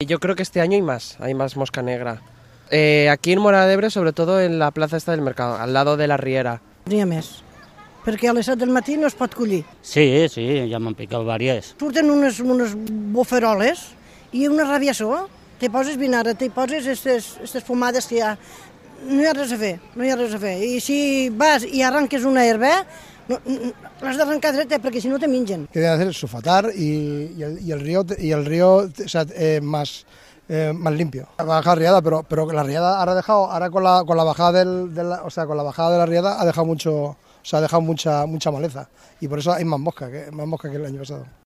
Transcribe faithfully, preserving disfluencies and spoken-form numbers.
Yo creo que este año hay más, hay más mosca negra. Eh, aquí en Móra d'Ebre, sobre todo en la plaza esta del mercado, al lado de la riera. N'hi ha més, perquè a les set del matí no es pot collir. Sí, sí, ja m'han picat vàries. Surten unes, unes boferoles i una rabiaçó. Te poses vinagre, te poses aquestes fumades que hi ha. No hi ha res a fer, no hi ha res a fer. I si vas i arranques una herba, no, l'has d'arrencar dreta perquè si no te mengen. Lo que deben hacer es sulfatar y, y, el, y el río, y el río o sea, eh, más, eh, más limpio. Baja riada, pero, pero la riada ahora ha dejado, ahora con la, con la bajada del, de la, o sea, con la bajada de la riada ha dejado mucho, o sea, ha dejado mucha, mucha maleza y por eso hay más mosca, que, más mosca que el año pasado.